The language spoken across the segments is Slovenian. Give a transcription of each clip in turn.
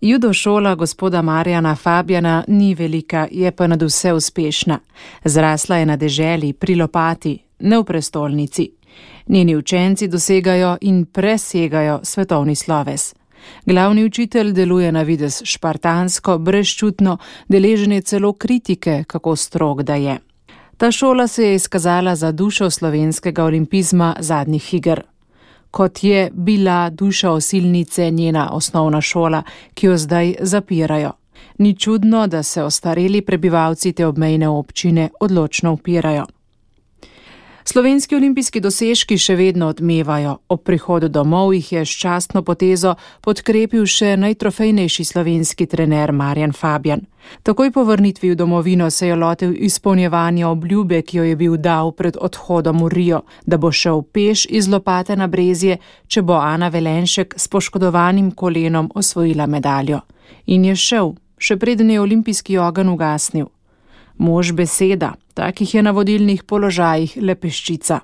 Judo šola gospoda Marjana Fabjana ni velika, je pa nadvse uspešna. Zrasla je na deželi, pri Lopati, ne v prestolnici. Njeni učenci dosegajo in presegajo svetovni sloves. Glavni učitelj deluje na videz špartansko, brezčutno, deležen je celo kritike, kako strog da je. Ta šola se je izkazala za dušo slovenskega olimpizma zadnjih iger. Kot je bila duša osilnice njena osnovna šola, ki jo zdaj zapirajo. Ni čudno, da se ostareli prebivalci te obmejne občine odločno upirajo. Slovenski olimpijski dosežki še vedno odmevajo. Ob prihodu domov jih je s častno potezo podkrepil še najtrofejnejši slovenski trener Marjan Fabjan. Takoj po vrnitvi v domovino se je lotil izpolnjevanja obljube, ki jo je bil dal pred odhodom v Rio, da bo šel peš iz Lopate na Brezje, če bo Ana Velenšek s poškodovanim kolenom osvojila medaljo. In je šel, še preden je olimpijski ogenj ugasnil. Mož beseda, takih je na vodilnih položajih le peščica.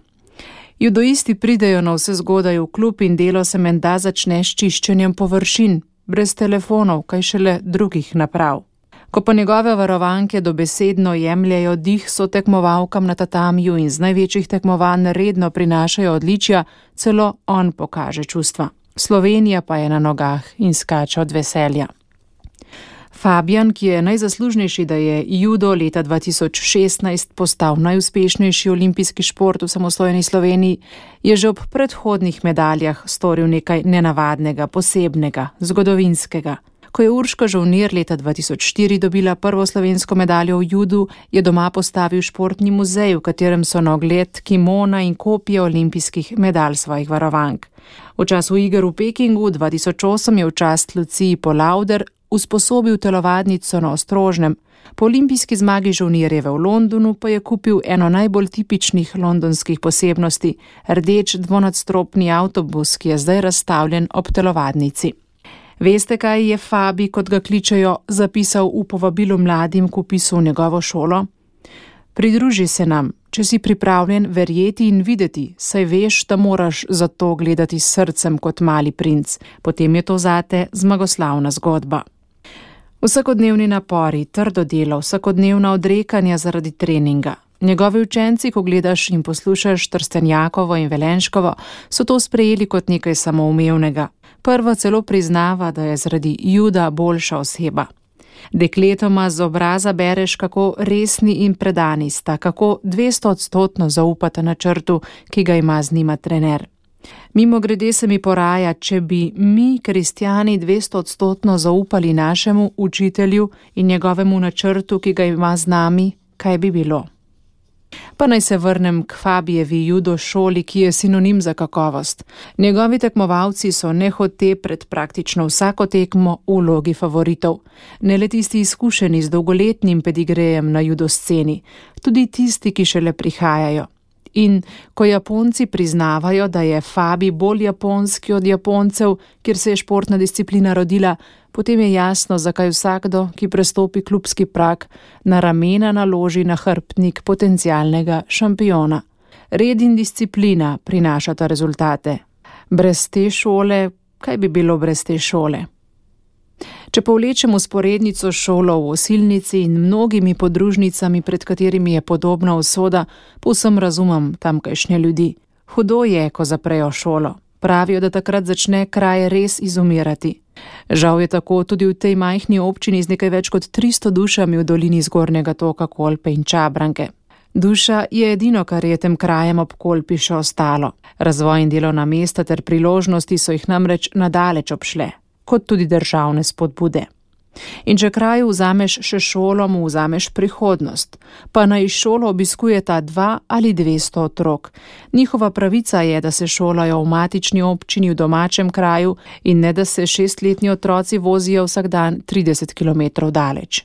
Judoisti pridejo na vse zgodaj v klub in delo se menda začne s čiščenjem površin, brez telefonov, kaj šele drugih naprav. Ko pa njegove varovanke dobesedno jemljajo dih sotekmovalkam na tatamiju in z največjih tekmovanj redno prinašajo odličja, celo on pokaže čustva. Slovenija pa je na nogah in skače od veselja. Fabjan, ki je najzaslužnejši, da je judo leta 2016 postal najuspešnejši olimpijski šport v samostojni Sloveniji, je že ob predhodnih medaljah storil nekaj nenavadnega, posebnega, zgodovinskega. Ko je Urška Žolnir leta 2004 dobila prvo slovensko medaljo v judu, je doma postavil športni muzej, v katerem so na ogled kimona in kopije olimpijskih medalj svojih varovank. V času iger v Pekingu 2008 je v čast Luciji Polauder usposobil telovadnico na Ostrožnem. Po olimpijski zmagi Žolnirjeve v Londonu pa je kupil eno najbolj tipičnih londonskih posebnosti, rdeč dvonadstropni avtobus, ki je zdaj razstavljen ob telovadnici. Veste, kaj je Fabi, kot ga kličejo, zapisal v povabilu mladim k vpisu v njegovo šolo? Pridruži se nam, če si pripravljen verjeti in videti, saj veš, da moraš za to gledati s srcem kot mali princ. Potem je to zate zmagoslavna zgodba. Vsakodnevni napori, trdo delo, vsakodnevna odrekanja zaradi treninga. Njegovi učenci, ko gledaš in poslušaš Trstenjakovo in Velenškovo, so to sprejeli kot nekaj samoumevnega. Prva celo priznava, da je zaradi juda boljša oseba. Dekletoma z obraza bereš, kako resni in predani sta, kako 200% zaupata načrtu, ki ga ima z njima trener. Mimogrede se mi poraja, če bi mi, kristjani, 200% zaupali našemu učitelju in njegovemu načrtu, ki ga ima z nami, kaj bi bilo? Pa naj se vrnem k Fabijevi judo šoli, ki je sinonim za kakovost. Njegovi tekmovalci so nehote pred praktično vsako tekmo v vlogi favoritov. Ne le tisti izkušeni z dolgoletnim pedigrejem na judo sceni, tudi tisti, ki šele prihajajo. In ko Japonci priznavajo, da je Fabi bolj japonski od Japoncev, kjer se je športna disciplina rodila, potem je jasno, zakaj vsakdo, ki prestopi klubski prag, na ramena naloži nahrbtnik potencialnega šampiona. Red in disciplina prinašata rezultate. Brez te šole, kaj bi bilo brez te šole? Če povlečem vzporednico šolo v Osilnici in mnogimi podružnicami, pred katerimi je podobna usoda, povsem razumem tamkajšnje ljudi. Hudo je, ko zaprejo šolo. Pravijo, da takrat začne kraj res izumirati. Žal je tako tudi v tej majhni občini z nekaj več kot 300 dušami v dolini Zgornjega toka Kolpe in Čabranke. Duša je edino, kar je tem krajem ob Kolpi še ostalo. Razvoj in delovna mesta ter priložnosti so jih namreč nadaleč obšle, kot tudi državne spodbude. In če kraju vzameš še šolo, mu vzameš prihodnost, pa naj šolo obiskujeta 2 ali 200 otrok. Njihova pravica je, da se šolajo v matični občini v domačem kraju in ne, da se 6-letni otroci vozijo vsak dan 30 km daleč.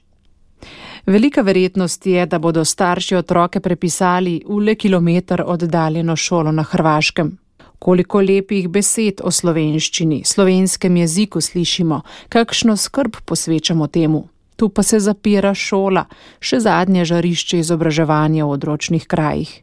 Velika verjetnost je, da bodo starši otroke prepisali v le kilometer oddaljeno šolo na Hrvaškem. Koliko lepih besed o slovenščini, slovenskem jeziku slišimo, kakšno skrb posvečamo temu. Tu pa se zapira šola, še zadnje žarišče izobraževanja v odročnih krajih.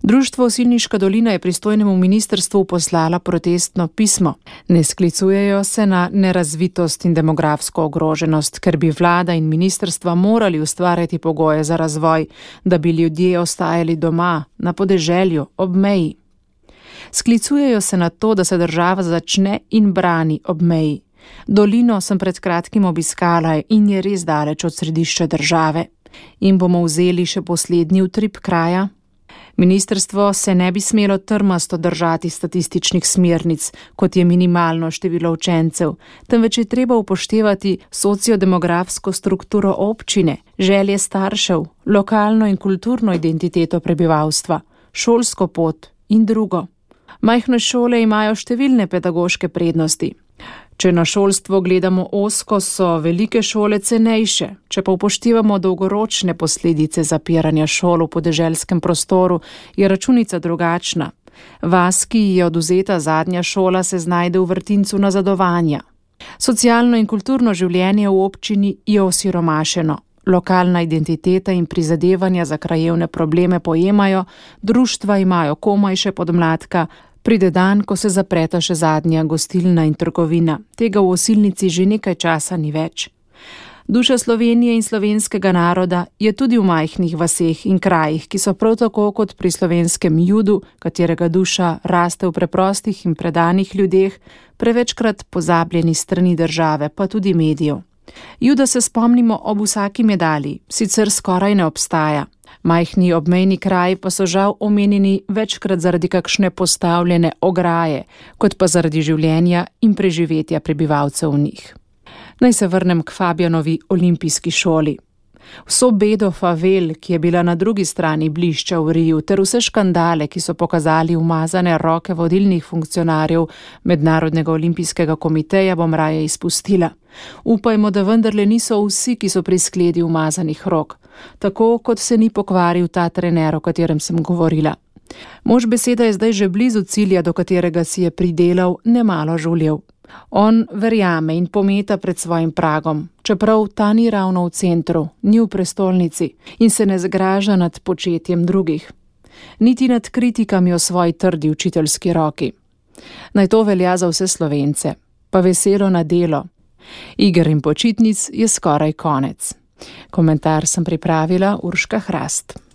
Društvo Osilniška dolina je pristojnemu ministrstvu poslala protestno pismo. Ne sklicujejo se na nerazvitost in demografsko ogroženost, ker bi vlada in ministrstva morali ustvarjati pogoje za razvoj, da bi ljudje ostajali doma, na podeželju, ob meji. Sklicujejo se na to, da se država začne in brani ob meji. Dolino sem pred kratkim obiskala in je res daleč od središča države. In bomo vzeli še poslednji utrip kraja? Ministrstvo se ne bi smelo trmasto držati statističnih smernic, kot je minimalno število učencev, temveč je treba upoštevati sociodemografsko strukturo občine, želje staršev, lokalno in kulturno identiteto prebivalstva, šolsko pot in drugo. Majhne šole imajo številne pedagoške prednosti. Če na šolstvo gledamo ozko, so velike šole cenejše, če pa upoštevamo dolgoročne posledice zapiranja šol v podeželskem prostoru, je računica drugačna. Vas, ki ji je odvzeta zadnja šola, se znajde v vrtincu nazadovanja. Socialno in kulturno življenje v občini je osiromašeno. Lokalna identiteta in prizadevanja za krajevne probleme pojemajo, društva imajo komaj še podmladka, pride dan, ko se zapreta še zadnja gostilna in trgovina. Tega v Osilnici že nekaj časa ni več. Duša Slovenije in slovenskega naroda je tudi v majhnih vaseh in krajih, ki so prav tako kot pri slovenskem judu, katerega duša raste v preprostih in predanih ljudeh, prevečkrat pozabljeni strani države, pa tudi medijev. Juda se spomnimo ob vsaki medalji, sicer skoraj ne obstaja. Majhni obmejni kraji pa so žal omenjeni večkrat zaradi kakšne postavljene ograje, kot pa zaradi življenja in preživetja prebivalcev v njih. Naj se vrnem k Fabjanovi olimpijski šoli. Vso bedo favel, ki je bila na drugi strani blišča v Riju, ter vse škandale, ki so pokazali umazane roke vodilnih funkcionarjev Mednarodnega olimpijskega komiteja, bom raje izpustila. Upajmo, da vendarle niso vsi, ki so pri skledi umazanih rok, tako kot se ni pokvaril ta trener, o katerem sem govorila. Mož beseda je zdaj že blizu cilja, do katerega si je pridelal nemalo žuljev. On verjame in pometa pred svojim pragom, čeprav ta ni ravno v centru, ni v prestolnici in se ne zgraža nad početjem drugih. Niti nad kritikami o svoji trdi učiteljski roki. Naj to velja za vse Slovence, pa veselo na delo. Iger in počitnic je skoraj konec. Komentar sem pripravila Urška Hrast.